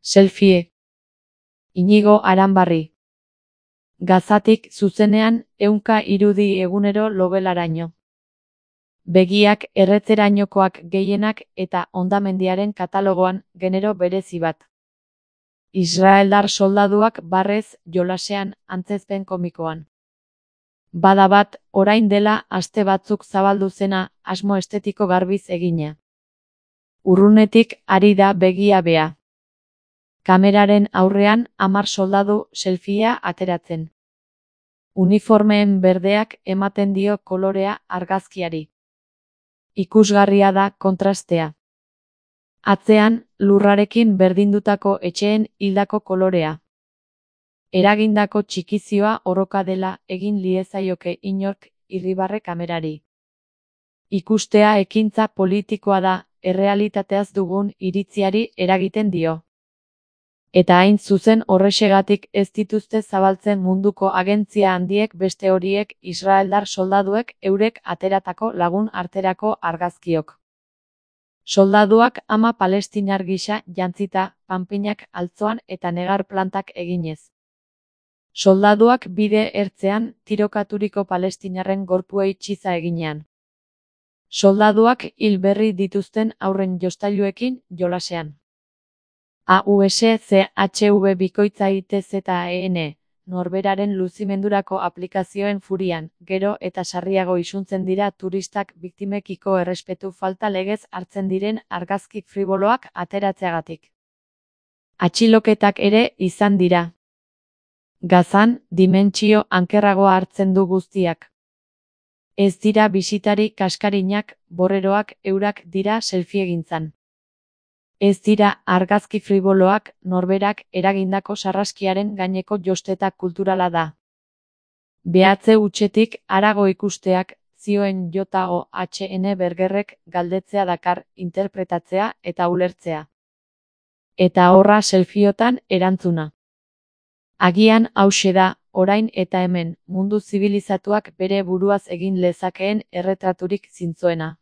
Selfie. Inigo Aranbarri. Gazatik zuzenean 100 irudi egunero lobelaraino. Begiak erretzerainokoak gehienak eta hondamendiaren katalogoan genero berezi bat. Israeldar soldaduak barrez jolasean antzezpen komikoan. Bada bat, orain dela aste batzuk zabaldu zena asmo estetiko garbiz egina. Urrunetik ari da begia bea. Kameraren aurrean 10 soldadu selfia ateratzen. Uniformeen berdeak ematen dio kolorea argazkiari. Ikusgarria da kontrastea. Atzean, lurrarekin berdindutako etxeen hildako kolorea. Eragindako txikizioa oroka dela egin liezaioke inork irribarre kamerari. Ikustea ekintza politikoa da, errealitateaz dugun iritziari eragiten dio. Eta hain zuzen horrexegatik ez dituzte zabaltzen munduko agentzia handiek beste horiek israeldar soldaduek eurek ateratako lagun arterako argazkiok. Soldaduak ama palestinar gisa jantzita, panpinak altzoan eta negar plantak eginez. Soldaduak bide ertzean tirokaturiko palestinarren gorpuei txiza eginean. Soldaduak hil berri dituzten aurren jostailuekin jolasean. AUSCHV bikoitza ITZEN, norberaren luzimendurako aplikazioen furian, gero eta sarriago isuntzen dira turistak biktimekiko errespetu falta legez hartzen diren argazki friboloak ateratzeagatik. Atxiloketak ere izan dira. Gazan, dimentsio ankerragoa hartzen du guztiak. Ez dira bisitari kaskarinak, borreroak eurak dira selfiegintzan. Ez dira argazki friboloak norberak eragindako sarraskiaren gaineko josteta kulturala da. Behatze hutsetik harago ikusteak, zioen JOHN Bergerrek galdetzea dakar, interpretatzea eta ulertzea. Eta horra selfiotan erantzuna. Agian hauxe da, orain eta hemen, mundu zibilizatuak bere buruaz egin lezakeen erretraturik zintzoena.